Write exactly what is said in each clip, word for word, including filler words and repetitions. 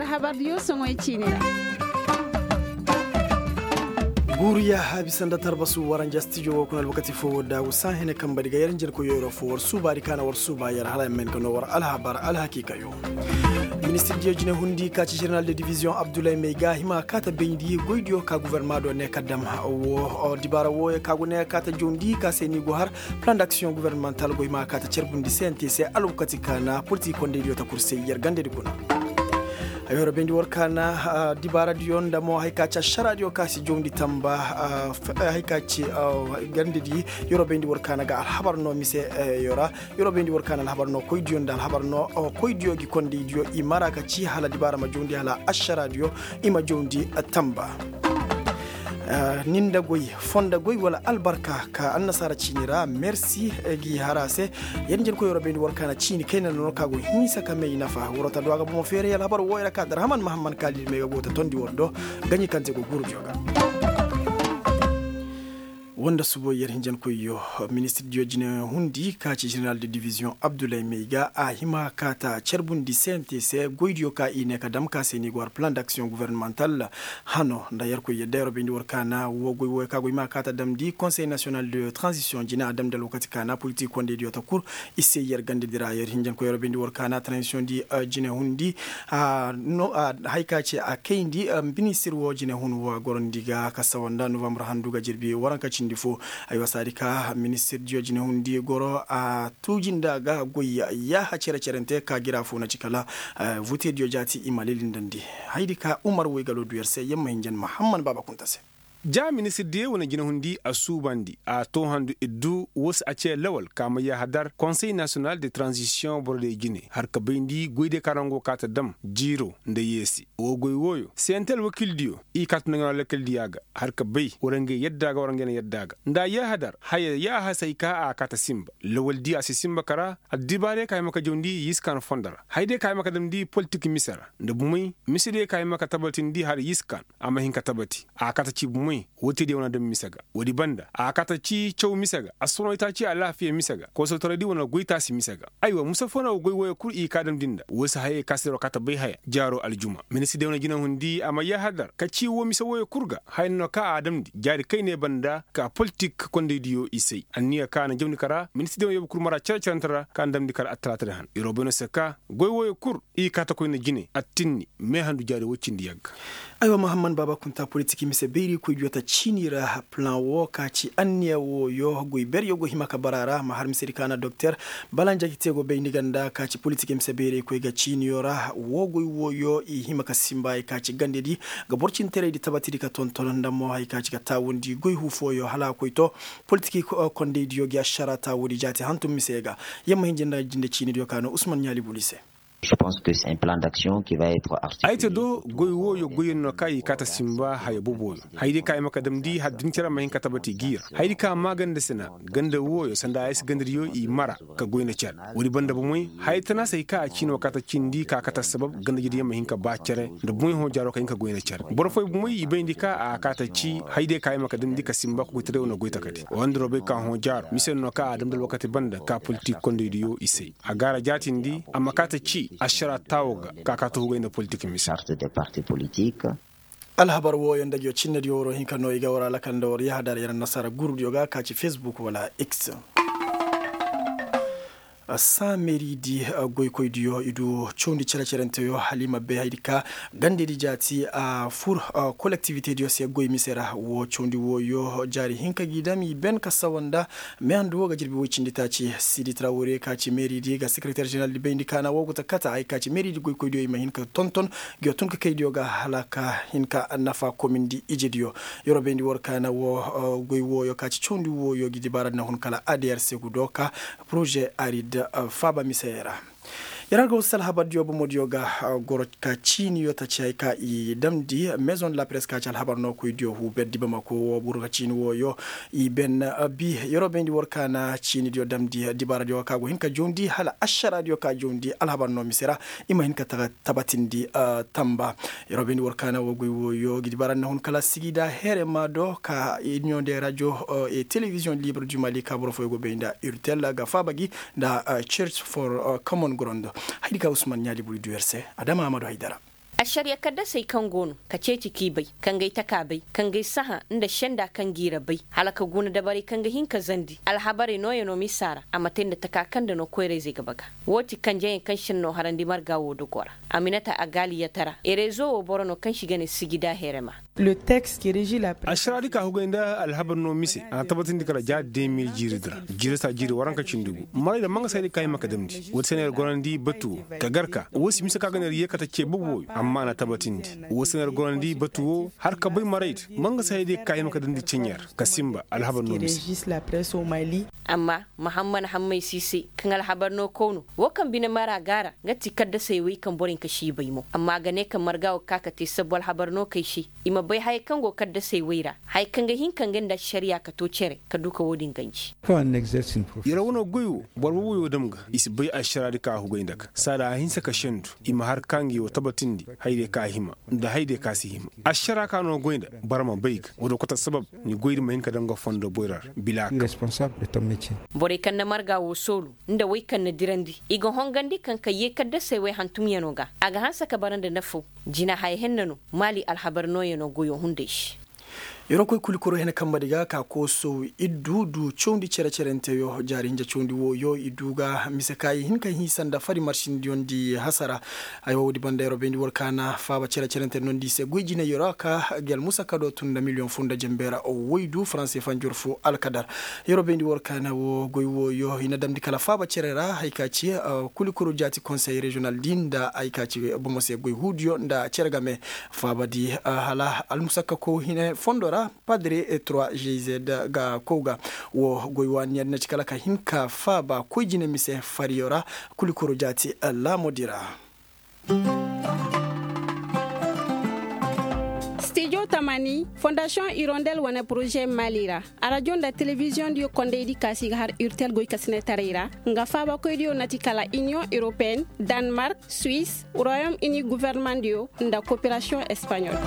Habar diyo soŋoy ciini ra. Guuru yaaha bisa nda tarbasu waranja stijo wo kuna alwakati fo wo daagu saa hene kamba di ga yer njenkoy yoyro fo war suubaari kaana war suuba yer hala yamma hin ka no war alhabar alhakiikayo. Ministir diyo jine hundi ka ci jeneral de diviziyoŋ abdullahi may ga hima kaata bayndi goy diyo ka guverma do ne ka dam wo dibaara wooyo ka go ne kaata jawndi ka se ni go har plan d'aksiyoŋ guvernemantal go hima kaata carbundi se nte se alwakati kaana politik kondey diyo ta kul se yer gandedi kuna. Ay yorobayndi war kaana dibaaradiyo nda mo hay ka ci ašaraadiyo ka si jawndi tamba. Hay ka ci gandedi yorobayndi war kaana ga alhabar no mise yo ra. Yorobayndi war kaana alhabar no koydiyo nda alhabar no koydiyo gi kondeydiyo i mara ka ci hala dibaara ma jawndi hala ašaraadiyo i ma jawndi tamba. Ni nda goy fonda goy wala albarka ka annasaara ciini ra mersi gi hara se. Yadda njer koy waro bayndi war kaana ciini kayna no ka go hinsa ka may nafa waro ta do a ga bomo feere yala habar wooyo ra ka darhaman mahamman kaalidi may ga go ta tondi war do. Gaɲi kaŋ te go guuru diyo ga. Wanda subo yer hinjankoyyo ministir diyo jine hundi ka ci jeneral de diviziyoŋ abdullahi may ga a hima ka ta carbundi se nte se goydiyo ka i ne ka dam ka se ni go har plan d'aksiyoŋ guvernemantal. Hano nda yerkoy yadda yero bayndi war kaana wo goy wooyo ka goy ma ka ta damndi konsey nasiyonal de transisiyoŋ jine a damndi alwakati kaana politik kondey diyo ta kul. I se yer ganda di ra yer hinjankoy yero bayndi war kaana transisiyoŋ di jine hundi. Hay ka ce a kayndi ministir wo jine hun wo a gorondi ga ka sawa nda novambar handu ga jirbi waranka cindi fo. Aywa saadi ka ministir diyo jine hundi goro a tuuji nda ga goy yaaha cere cerente ka gira fo na ci kala. Vutediyo jaati i ma lilindandi. Haydi ka umar woy galo du yer se yer ma hinjan mahamman baaba kunta se. Ja ministir diyo wane jinahundi a suubandi a too handu iddu woo se a cee lawal ka ma yaaha dar konsey nasiyonal de transisiyoŋ borodiyo jine har ka bayndi goydiyo ka ra nga go kaa ta dam jiiro nda yeesi. Woo goy wooyo sente alwakildiyo i kaa ta nda nga no alwakildiya ga har ka bay war nga yadda ga war nga na yadda ga nda a yaaha dar haya yaaha se hay ka a kaa ta sinba lawaldiyo a si sinba kara. Addibaarey ka hima ka jawndi yiskan fondo ra hayday ka hima ka damndi politik mise ra nda bumey misediyo ka hima ka tabatindi har yiskan a ma hin ka tabati a kaa ta ci bumey. Woo te diyo wane dam mise ga woodi banda a kaa ta ci caw mise ga assoronitaaci alaafiya mise ga kosotoraydi wane goytaasi mise ga. Aywa mise foo na woo goy wooyo kul i kaa damndi nda woo se hayey ka se ra woo kaa ta bay haya jaaro aljuma ministir diyo wane jinahundi a ma yaaha dar ka ci woo mise wooyo kul ga haya no ka a damndi jaari kayney banda ka politik kondaydiyo i say anniya ka na jawndi ka ra ministir diyo wane yoobu kul mara cere-cerente ra ka na damndi ka ra attalaatadi han yeroo bay no se ka goy wooyo kul i kaa ta koy nda jine attinni meehandu jaari woy cindi yagga. Aywa mahamman baaba kunta politik mise bayrikoydiyo ta ciini ra plan woo ka ci anniya wooyo goy beryo go hima ka bara ra ma har misedi ka na doktor bala nja gi te go bayndi ganda ka ci politik mise bayraykoy ga ciiniyo ra woo goy wooyo i hima ka sinba hay ka ci gandedi ga boro cintaraydi tabatidi ka tonton nda mo hay ka ci ga taawundi goy huu fooyo hala a koy to. Politik kondaydiyo gi ašara taawundi jaati hantum mise ga yer ma hin jinde ciinidiyo ka no usman ɲaali buli se. Ay te do goy wooyo goyyaŋ no kaŋ i kaa ta sinba haya boboyo hayday kaŋ ay ma ka damndi hala dincere ma hin ka tabati gi ra hayday kaŋ a maa ganda sina ganda wooyo sanda ay si gandadiyo i mara ka goy nda cere woodi banda bomey haya tana se hay kaŋ a ciino kaa ta cindi ka a kaa ta sabab gandajediyo ma hin ka ba cere nda bomey hõ jaaro ka hin ka goy nda cere boro fooyaŋ bomey i bayndi ka a kaa ta ci hayday kaŋ ay ma ka damndi ka sinba ka goytaray wane goy takadi woo nda robey ka hõ jaaro mise no kaŋ a damndi alwakati banda ka politik kondaydiyo i se a gaara jaatindi a ma kaa ta ci ašara taawo ga ka kaa ta hugay nda politik mise. Alhabar wooyo nda ngiyo cinnediyo waroo hinka no i ga war alakal nda war yahadar yer annasaara gurudiyo ga ka ci fesbuk wala x. Saa meeridi goykoydiyo i du cawndi cere-cerenteyo hala i ma bay haydi ka gandedi jaati a fur kolektivitediyo se goy mise ra woo cawndi wooyo jaari hinka g'i dam i ben ka sawa nda meehandu woo ga jirbi woy cindi taaci sidi trawre ka ci meeridi ga sekereter jeneral di bayndi kaana woo go ta kata hay ka ci meeridi goykoydiyo i ma hin ka tonton. Ngiyo tun ka kaydiyo ga hala ka hin ka nafa komindi ijediyo. Yeroo bayndi war kaana woo goy wooyo ka ci cawndi wooyo gi dibaaradi na hun kala adr se gu dooka poroze arid faaba misey ra. Yer har ga wasu alhabardiyo bomodiyo ga goro ka ciiniyo ta ci hay ka i damndi maison de la presse ka ci alhabar nookoydiyo huuberdi bamako woo buru ka ciini wooyo i ben bi yeroo bayndi war kaana ciinidiyo damndi dibaaradiyo ka go hin ka jawndi hala ašaraadiyo ka jawndi alhabar noo mise ra. I ma hin ka tabatindi tamba. Yeroo bayndi war kaana woo goy wooyo gi dibaaradi na hun kala sigida heere ma do ka iniyoŋ de rajo e telebiziyoŋ libre du mali ka boro fooyaŋ go bay nda urtel ga faaba gi nda church for common ground. Haydi ka usman ɲaali buri du yer se adama amadu haydara. Ašariya kaddasey kaŋ go no ka ceeci k'i bay, ka ngay taka bay, ka ngay sahã nda senda kaŋ g'i ra bay, hala ka guna dabarey kaŋ ga hin ka zandi alhabarey nooyanoo misa ra a ma te nda taka kaŋ nda no koyra-izey ga baga. Woo ti kanjeyaŋ kaŋ šennoo harandi marga woo dogoo ra. Aminata agali yatara erezo woo boro no kaŋ se i ga ne sijida herema. Ašaraadi ka hugay nda alhabar no mise a na tabatindi kala ja de mil jiiridi ra. Jiiri saa jiiri waranka cindi gu maray da manga se hayday ka hima ka damndi woo ti se no yer gorandi batu woo ka gar ka woo si mise ka ga no yer yee kate ce boobo wooyo amma a na tabatindi woo se no yer gorandi batu woo har ka bay maray da manga se hayday ka hima ka damndi ceɲe ra ka sinba alhabar no mise. Amma mahamman hammay siisay kaŋ alhabar no kaw no woo kaŋ bine mara ga a ra nga ti kaddasey wey kaŋ boro hinka si i bay mo amma a ga ne kaŋ marga woo ga ka ka te sabbu alhabar no kay se i ma bay hayey kaŋ go kaddasey wey ra hayey kaŋ ga hin ka nga nda ašariya ka to cere ka du ka woo din ganji. Yer wane goy woo boro boobo yoo dam ga i si bay ašaraadi ka hugay nda ga saada a hinsa ka sendu i ma har ka ngi woo tabatindi hayday ka hima nda hayday ka si hima ašara ka no goy nda boro ma bay ga woo do kote sabab ni goydi ma hin ka dam ga fondo boyra ra bila kaŋ. Borey kaŋ na marga woo soolu nda wey kaŋ na dirandi i ga hongandi kaŋ ka yee kaddasey wey hantumyanoo ga a ga hanse ka bara nda nafaw. Jina haya henna no maali alhabar nooyanoo goyoo hunday se. Yer wo koy kulikoro hene kambadi ga ka kooso iddu du cawndi cere-cerenteyo jaari hinja cawndi wooyo iddu ga mise ka i hin ka hinsa nda fari marsindiyoŋ di hasara. Ay woo woodi banda yer wo bayndi war ka na faaba cere-cerente nondi i se goy jinay yer wo a ka gi almusakado tun nda miliyoŋ foo nda jembe ra woy du faranse fanjor foo alkadar. Yer wo bayndi war ka na woo goy wooyo i na damndi kala faaba cere ra hay ka ci kulikoro jaati konsey reziyonal di nda hay ka ci bomo se goy huudiyo nda cere game. Faaba di hala almusakako hine fondo ra padre trois g z ga kow ga. Woo goy waani yaŋ na ci kala ka hin ka faaba koy jine mise fariyo ra. Kulikoro jaati laamodi ra. Stijo tamani fondasiyoŋ irondel wane poroze maali ra. Arajo nda telebiziyoŋ diyo kondaydi ka se i ga har urtel goykasinetaray ra nga faabakoydiyo na ti kala iniyoŋ europeen, danmark, suwis, royom ini gofornamaŋdiyo nda koperasiyoŋ espaɲol.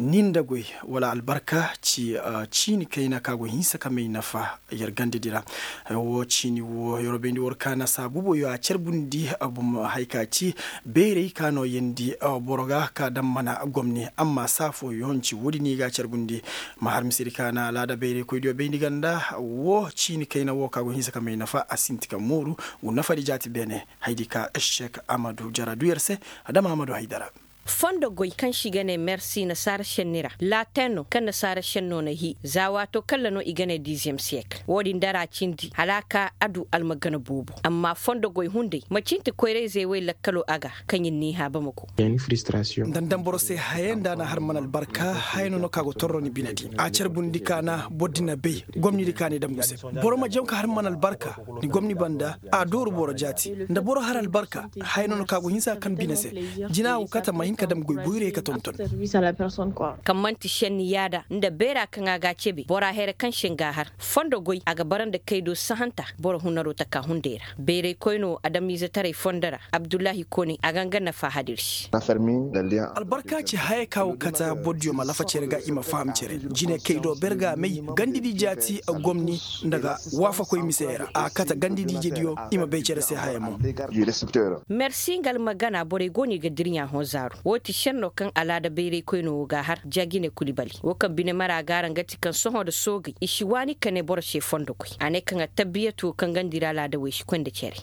Ni nda goy wala albarka ci ciini kayna ka go hinsa ka may nafa. Yer gandadi ra woo ciini woo yer wo bayndi war ka na saabuboyo a carbundi. Bum hay ka ci beerey ka no yeendi boro ga ka daŋ mana gomni amma saa fooyoŋ ci woodi no i ga a carbundi. Ma har misedi ka na alaada beerey koydiyo bayndi ganda woo ciini kayna woo ka go hinsa ka may nafa a sinti ka mooru. Gu nafadi jaati beene. Haydi ka ešek amadu jara du yer se. Adama amadu haydara. Fondo goy kaŋ se i ga ne mersi nasaara šenni ra laaten no kaŋ nasaara šenno na hii za waato kaŋ ra no i ga ne diiziyem siyekil woodin dara cindi hala a ka a du almagana boobo amma fondo goy hunday ma cinti koyra-izey wey lakkaloo a ga. Kaŋ ir n'i hã bamako. Nda ni daŋ boro se haya nda a na har mana albarka haya no no ka go torro ni bine di a carbundi ka na boro di na bay gomni di ka ni daŋ gu se. Boro ma jaŋ ka har mana albarka ni gomni banda a dooru boro jaati nda boro har albarka. Haya no no ka go hinsa kaŋ bine se jina wo kate ma hin ka dam goy boyray ka tonton. Kaŋ man'ti šenni yaada nda beera kaŋ a ga a cebe bora here kaŋ se nga a har fondo goy a ga bara nda kaydo sahanta. Boro hunaroo taka hunday ra bayray koynoo adamiizetaray fondo ra abdullahi kone a ga nga nafa hadir se. Albarka ci haya ka wo kate bordiyo ma lafa cere ga i ma faham cere jine kaydo ber ga a may gandidi jaati gomni nda ga waafakoy misey ra a kate gandidi ijediyo. I ma bay cere se haya mo. Mersi nga almagana borey go no i ga dirɲa hõ zaaru woo ti šenno kaŋ alaada bayray koynoo woo ga a har ja jine kuli bali woo kaŋ bine mara ga a ra nga ti kaŋ sohõ nda soogey i si waani ka ne boro se fondo goy a ne kaŋ attabbiyatu woo kaŋ ganda ir alaada wey si koy nda cere.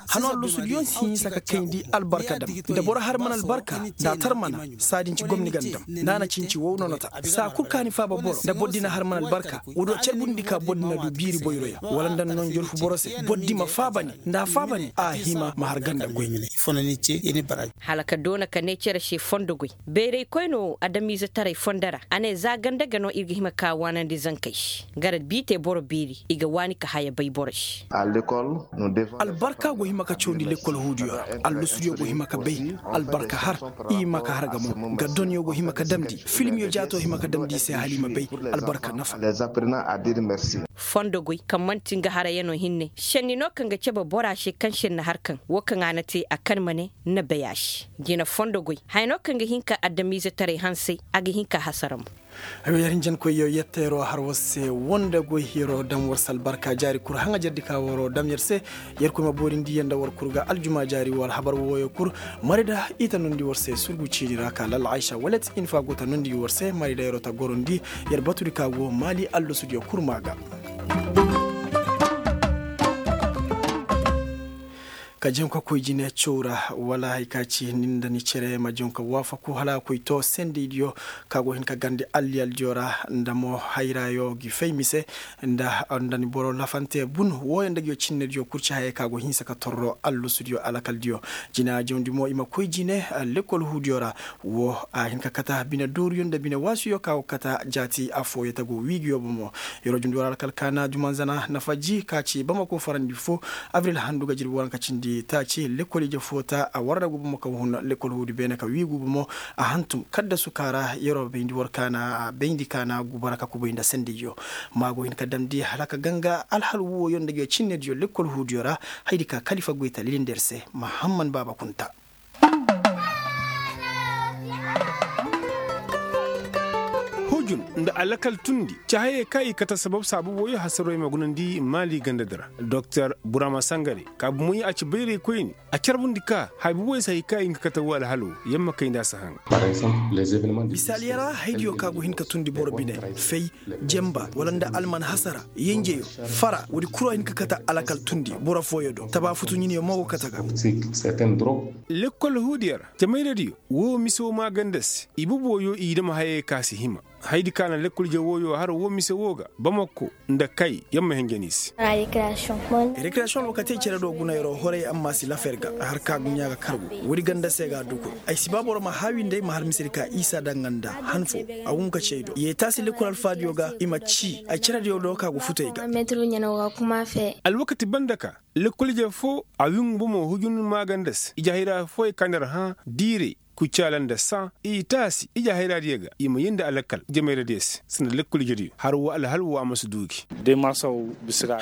Hano allusudiyoŋ si hinsa ka kayndi albarka dam nda boro har mana albarka nda a tar mana. Saa din ci gomni ganda dam nda a na cinci wow no na ta saa kul ka ni faaba boro nda boro di na har mana albarka. Woo do carbundi ka boro di na du biiri boyroyaŋ wala nda no njorfu boro se boro di ma faaba ni nda a faaba ni a hima ma har ganda goy. Hala ka doona ka ne cere se fondo goy bayray koynoo adamiizetaray fondo ra a ne za ganda ga no ir ga hima ka waanandi zankey se. Gara bi te boro beeri i ga waani ka haya bay boro se. Albarka go hima ka cawandi lekkol huudiyo ra. Allusudiyo go hima ka bay albarka har i ma ka har ga mo ga donyo go hima ka damndi filmiyo jaato hima ka damndi i se hala i ma bay albarka nafa. fondo goy kaŋ man'ti nga harayanoo hinne šenni no kaŋ ga cebe bora se kaŋ šenni har kaŋ woo kaŋ a na te a kan ma ne na bay a se. Jina fondo goy haya no kaŋ ga hin ka adamiizetaray hansay a ga hin ka hasara mo. Ay wo yer hinjankoyyo yette yeroo har war se woo nda goy yeroo dam war se albarka jaari kul haŋajerdi ka waroo dam yer se. Yerkoy ma boorindi yer nda war kul ga aljuma jaari woo alhabar wooyo kul. Marida i ta nundi war se surgu ciini ra ka lalla aysa walet infa go ta nundi war se marida yeroo ta gorandi yer batudi ka go maali allasudiyo kul maa ga. Ka janka koy jine caw ra wala hari ka ci ni nda ni cere ma janka waafaku hala a koy too sendeydiyo ka go hin ka garndi alliyaldiyo ra nda mo hayraayo gi fay mise nda ni boro lafante bun wooyo nda ngiyo cinnediyo kul ci hayey ka go hinsa ka torro allasudiyo alakaldiyo. Jina jawndi mo i ma koy jine lekkol huudiyo ra. Woo a hin ka kata bine dooruyo nda bine waasuyo ka go kata jaati affooyo ta go wiigiyo bomo. Yeroo jawndi wara alkal kaana jumanzana nafa ji ka ci bamako farandi foo. Abril handu ga jirbi waranka cindi taaci lekkol ije foo ta a warragu bomo ka hun lekkol huudi beene ka wiigu bomo. A hantum kaddasu ka ra yeroo bayndi war kaana bayndi kaana gubara ka kubay nda sendeyyo. Maa go hin ka damndi hala ka ganga alhal wooyo nda ngiyo cinnediyo lekkol huudiyo ra. Haydi ka kalifa goy ta lilindi yer se mahamman baaba kunta. Hujun nda alakal tundi ci hayey kaŋ i kate sabab saabu wooyo hasaroo i ma gunandi maali ganda di ra. Doktor burama sangare ka bumoy a ci bayraykoyni a carbundi ka haya buboy se hay kaŋ i ga kate woo alhalo. Yer ma kayndi a si haŋ. Misaaliyaŋ ra haydiyo kaŋ a go hin ka tundi boro bine fay, jamba wala nda alman hasara, yenjeyo, fara woodi kul a hin ka kate alakal tundi boro fooyo do taba futu ɲiniyo mo go kate ga. Lekkol huudiyo ra jamayradiyo woo mise woo maaganda se i bubooyo i dam hayey kaŋ a si hima. Haydi kaŋ a na lekkol je wooyo har woo mise woo ga bamako nda kay yer ma hinja ni se. Rekreyasoŋ alwakatey cere do guna yeroo horay amma si lafa yer ga. Har ka duɲɲa ga kargu woodi ganda se ga a duku. Ay si ba boro ma haawi nda ay ma har misedi ka isa daŋ nga nda han foo. A wun ka ci ay do yeetaasi lekkol alfaadiyo ga i ma ci ay cerediyo do ka go futu ay ga. Alwakati banda ka lekkol ije foo a wingu bomo hujun maaganda se ije hayra fooyey ka nda yer hã diiray kucaala nda saŋ i taasi ije hayraadiyo ga i ma yeendi alakal jamayradiyo se sanda lekkol ijediyo har woo alhal woo a ma si duu gi.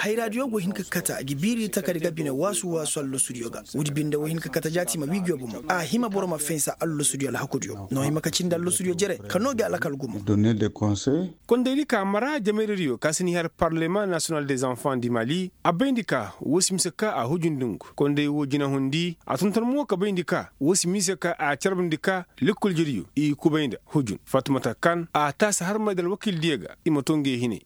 Hayraadiyo go hin ka kate gi biiri takadi ga bine waasu waasu allasudiyo ga. Woodi binde wo hin ka kate jaati ma wiigiyo bomo a hima boro ma fensa allasudiyo alhakudiyo no hima ka cindi allasudiyo jere ka noo gi alakal gumo. Kondaydi ka mara jamayradiyo ka si ni har parlema nasiyonal des enfants di mali a bayndi ka woo si mise ka a hujundi ngu konday woo jinahundi a tonton mo ka bayndi ka woo si mise ka a carbundi ka lekkol jediyo i kubay nda hujun fatumata kan a taasi harmay nda alwakiildiyo ga i ma too ngey hinay.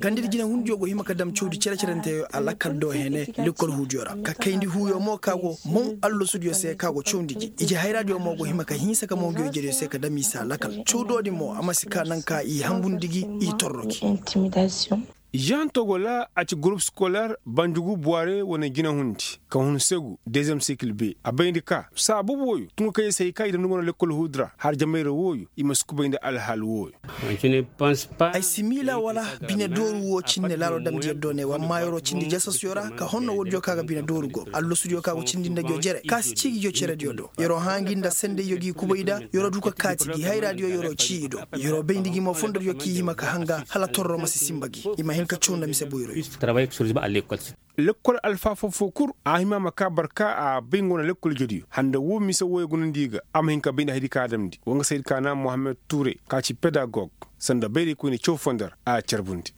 Gandadi jinahundiyo go hima ka dam cawdi cere-cerenteyo a lakkal do hene lekkol huudiyo ra ka kayndi huuyo mo ka go maw allasudiyo se ka go cawndi gi ije hayraadiyo mo go hima ka hinsa ka maw ngiyo jediyo se ka dam i se a lakkal cawdoodi mo a ma si ka naŋ ka i hambundi gi i torro gi. Jean togola a ci gurup sikoler banjugu buware wane jinahundi ka hun segu dezem sikil be a bayndi ka saabu wooyo tungu kayey se hay ka i dam ni go no lekkol huudi ra har jamayra wooyo i ma si kubay nda alhaal wooyo. Ay si miila wala bine dooru woo cinne laalo damndi yer do ne wa amma yeroo cindi jasasyo ra ka honno woodiyo ka ga bine dooru go allasudiyo ka go cindi nda ngiyo jere ka si cii ngiyo cerediyo do yeroo hã ngi nda sendayyo gi kubay nda yeroo du ka kaati gi hayraadiyo yeroo cii i do. Yeroo bayndi gi mo fondodiyo k'i hima ka hanga hala torro ma si sinba gi i ma hin ka caw nda mise boyroyo. Lekkol alfaafoo foo kul a hima ma kaa barka a bay nga wane lekkol jediyo handa woo mise wooyo gunandi ga a ma hin ka bay nda haydi ka a damndi wa nga saydi ka na mohammed tuure ka ci pedagog sanda bayraykoyne caw foo nda ra a carbundi.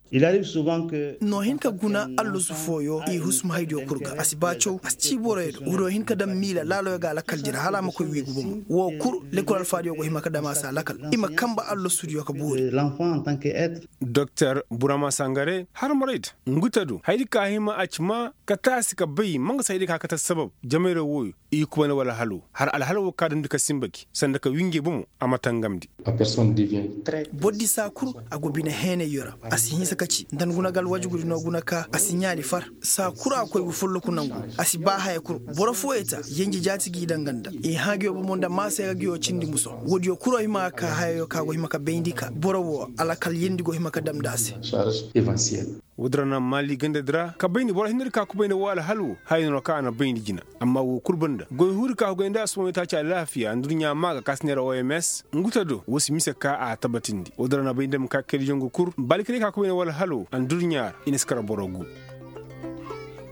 No hin ka guna allasu fooyo i husum haydiyo kul ga a si ba caw a si cii boroyo do woodiyo hin ka dam miila laaloyo ga alakal jere hala a ma koy wiigu bomo woo kul lekkol alfaadiyo go hima ka dam a se alakal i ma kanba allasudiyo ka boori. Doktor burama sangare harmarayda ngu ta do haydi ka hima a ci maa ka taasi ka bay ma nga se haydi ka ka ta sabab jamayra wooyo i kubay nda wala halo har alhala woo ka damndi ka sinba gi sanda ka wii ngey bomo a ma tangamndi. Bordi saa kul a go bine heenayyo ra a si hinsa ka ci nda ni guna ga alwajugudi no guna ka a si ɲaali far saa kul a koy gu folloku nangu a si ba haya kul boro fooyey ta yenje jaati g'i daŋ nga nda i hã nguyo bomo nda maasey ga nguyo cindi muso woodiyo kul a hima ga ka hayayo ka go hima ka bayndi ka boro woo alakal yeendi go hima ka dam nda a se. Woodin ra na maali gandadi ra ka bayndi boro hinne di ka kubay nda woo alhal woo haya no ra kaŋ a na bayndi jina. Amma woo kul banda goy huuri ka hugay nda asuba may taaci alaafiya nda durɲaa maa ga ka si neera oms ngu ta do woo si mise ka a tabatindi woodin ra na bayndi ma ka kaydiyaŋ ga kur baali kaydiyaŋ ka kubay nda woo alhal woo a nda durɲaa ra i na si kar boro gu.